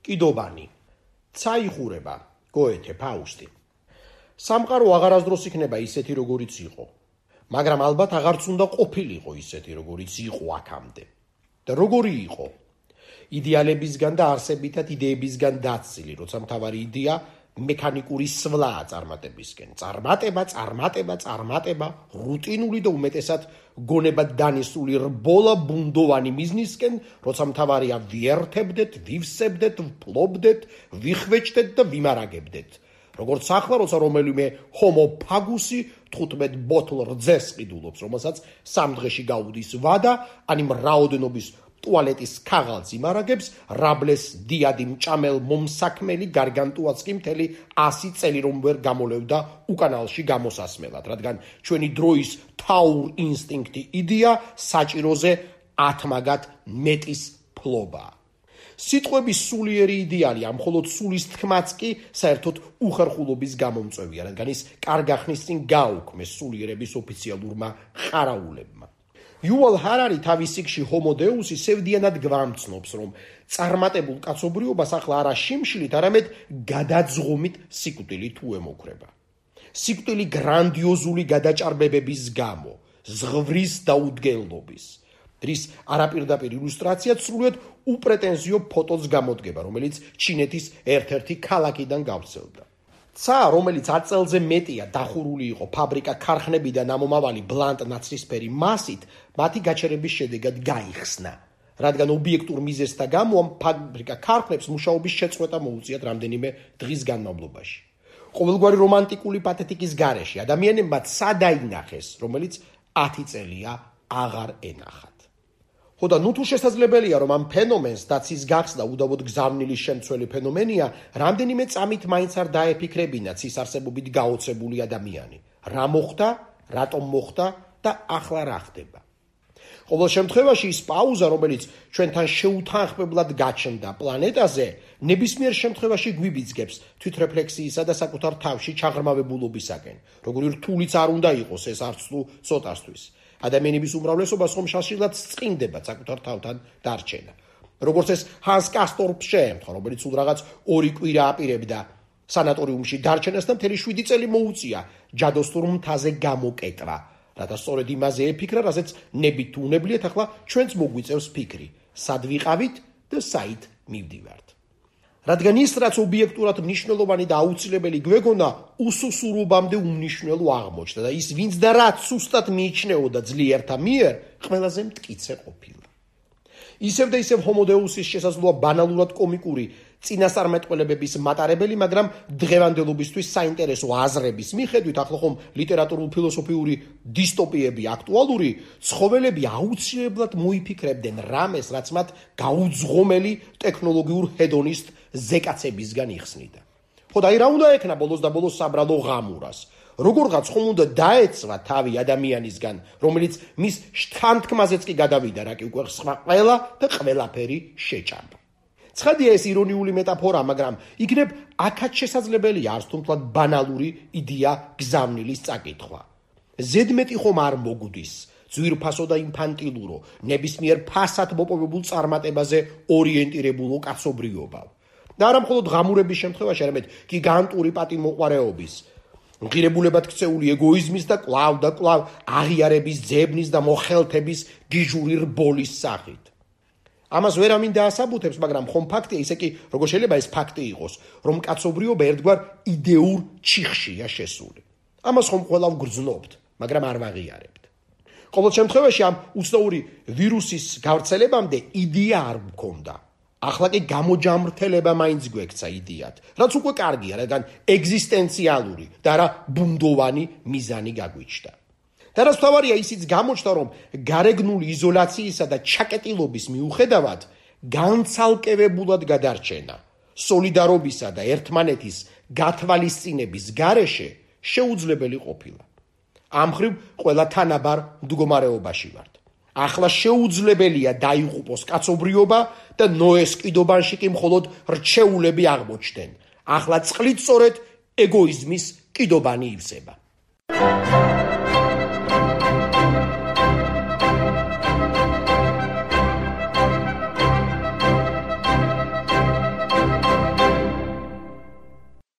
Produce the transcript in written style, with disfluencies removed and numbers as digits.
კიდობანი. Წაიხურება, გოეთე, ფაუსტი. სამყარო აღარასდროს იქნება ისეთი, როგორიც იყო. მაგრამ ალბათ აღარც უნდა ყოფილიყო ისეთი, როგორიც იყო აქამდე. და როგორი იყო? იდეალებისგან და არსებითად იდეებისგან დაცილი, როცა მთავარი იდეა მექანიკური სვლაა წარმატებისკენ. წარმატება, რუტინული და უმეტესად გონებად დანესული რბოლა ბუნდოვანი მიზნისკენ, როცა მთავარია ვიერთებდეთ, ვივსებდეთ, ვფლობდეთ, ვიხვეჭდეთ და ვიმარაგებდეთ. როგორც ახლა, როცა რომელიმე ჰომო ფაგუსი 15 ბოთლ რძეს ყიდულობს, რომელსაც 3 დღეში გაუდის ვადა, ani მრაოდნობის ტუალეტის ქაღალდს იმარაგებს, რაბლეს დიადი მჭამელ მომსაქმელი გარგანტუაც კი მთელი 100 წელი რომ ვერ გამოლევდა უკანალში გამოსასმელად, რადგან ჩვენი დროის თაურ ინსტინქტი იდეა საჭიროზე ათმაგად მეტის ფლობაა. სიტყვების სულიერი იდეალი, ამ მხოლოდ სულის თქმაც კი საერთოდ უხერხულობის გამომწვევია, რადგან ის კარგ ახნის წინ გააუქმეს სულიერების ოფიციალურმა ყარაულებმა. იუვალ ჰარარი თავის სიკში ჰომო დეუსი სევდიანად გვამცნობს, რომ წარმატებულ კაცობრიობას ახლა არა შიმშილით, არამედ გადაძღომით სიკვდილი თუ ემოქრება. სიკვდილი გრანდიოზული გადაჭარბებების გამო, ზღვრის დაუდგენლობის, რის არაპირდაპირ ილუსტრაციად სრულიად უპრეტენზიო ფოტოც გამოდგება, რომელიც ჩინეთის ერთ-ერთი ქალაქიდან გავრცელდა. ცა, რომელიც 10 წელზე მეტია დახურული იყო ფაბრიკა ქარხნებიდან ამომავალი ბლანტ ნაცრისფერი მასით, მათი გაჩერების შედეგად გაიხსნა, რადგან ობიექტურ მიზეზთა გამო ამ ფაბრიკა ქარხნებს მუშაობის შეწყვეტა მოუწიათ რამდენიმე დღის განმავლობაში. ყოველგვარი რომანტიკული პათეტიკის გარეშე ადამიანებმა სადაინახეს, რომელიც 10 წელია აღარ ენახათ. ხოდა ნუ თუ შესაძლებელია, რომ ამ ფენომენს დაცის გახსნა უდავოდ გზავნილი შემცველი ფენომენია, რამდენიმე წამით მაინც არ დაეფიქრებინათ ის არსებობით გაოცებული ადამიანი. რა მოხდა, რატომ მოხდა და ახლა რა ხდება. ყოველ შემთხვევაში ის პაუზა, რომელიც ჩვენთან შეუთანხმებლად გაჩნდა პლანეტაზე, ნებისმიერ შემთხვევაში გვიბიძგებს თვითრეფლექსიისა და საკუთარ თავში ჩაღრმავებულობისაკენ, როგორი რთულიც არ უნდა იყოს ეს არც თუ ცოტასთვის. ადამიანების უმრავლესობა ხომშაშილად წინდება საკუთარ თავთან დარჩენა. როგორც ეს ჰანს კასტორპს შეემთხვა, რომელიც სულ რაღაც 2 კვირა აპირებდა სანატორიუმში დარჩენას და მთელი 7 წელი მოუწია ჯადოსნურ მთაზე გამოკეტვა, რათა სწორედ იმაზე ეფიქრა, რასაც ნებით თუ უნებლიეთ ახლა ჩვენც მოგვიწევს ფიქრი, სად ვიყავით და საით მივდივართ. რადგან ის, რაც ობიექტურად მნიშვნელოვანი და აუცილებელი გვეგონა, უსუსურობამდე უმნიშვნელო აღმოჩნდა და ის, ვინც და რაც სუსტად მიიჩნეოდა ძლიერთა მიერ, ყველაზე მტკიცე ყოფილა. ისევ და ისევ ჰომო დეუსის შესაძლოა ბანალურად კომიკური წინასწარმეტყველებების მატარებელი, მაგრამ დღევანდელობისთვის საინტერესო აზრების მიხედვით, ახლა ხომ ლიტერატურულ-ფილოსოფიური დისტოპიები აქტუალური, ცხოველები აუცილებლად მოიფიქრებდნენ რამეს, რაც მათ გაუძღომელი ტექნოლოგიურ ჰედონისტ ზეკაცებისგან იხსნიდა. ხოდა აი რა უნდა ექნა ბოლოს და ბოლოს საბრალო ღამურას? როგორღაც ხომ უნდა დაეცვა თავი ადამიანისგან, რომელიც მის შთანთქმაზეც კი გადავიდა, რა კი უკვე სხვა ყველა და ყველაფერი შეჭამდა. ცხადია ეს ირონიული მეტაფორა, მაგრამ იქნებ აქაც შესაძლებელია არც თუმთლად ბანალური იდეა გზავნილის წაკითხვა. ზედმეტი ხომ არ მოგვდის ძვირფასო და ინფანტილურო, ნებისმიერ ფასად მოპოვებულ წარმატებაზე ორიენტირებულო კაცობრიობა. და არა მხოლოდ ღამურების შემთხვევაში, არამედ გიგანტური პატიმოყვარეობის, ღირებულებად ქცეული ეგოიზმის და კვლავ აღიარების ძებნის და მოხელთების გიჟური რბოლის სახით. ამას ვერ ამინდა ასაბუთებს, მაგრამ ხომ ფაქტია ისე კი, როგორ შეიძლება ეს ფაქტი იყოს, რომ კაცობრიობა ერთგვარ იდეურ ჩიხშია შესული. ამას ხომ ყველა ვგრძნობთ, მაგრამ არ ვაღიარებთ. ყოველ შემთხვევაში ამ უცნაური ვირუსის გავრცელებამდე იდეა არ მქონდა. ახლა კი გამოჯამრთელება მაინც გვექცა იდეად, რაც უკვე კარგია, რადგან ეგზისტენციალური და არა ბუნდოვანი მიზანი გაგვიჩნდა. და რაც თავარია ისიც გამოჩნდა, რომ გარეგნული იზოლაციისა და ჩაკეტილობის მიუხედავად განცალკევებულად გადარჩენა, სოლიდარობისა და ერთმანეთის გათვალისწინების გარეშე შეუძლებელი ყოფილა. ამ მხრივ ყველა თანაბარ მდგომარეობაში ვართ. ახლა შეუძლებელია დაიღუპოს კაცობრიობა და ნოეს კიდობანში კი მხოლოდ რჩეულები აღმოჩნდნენ. ახლა წყლით სწორედ ეგოიზმის კიდობანი ივსება.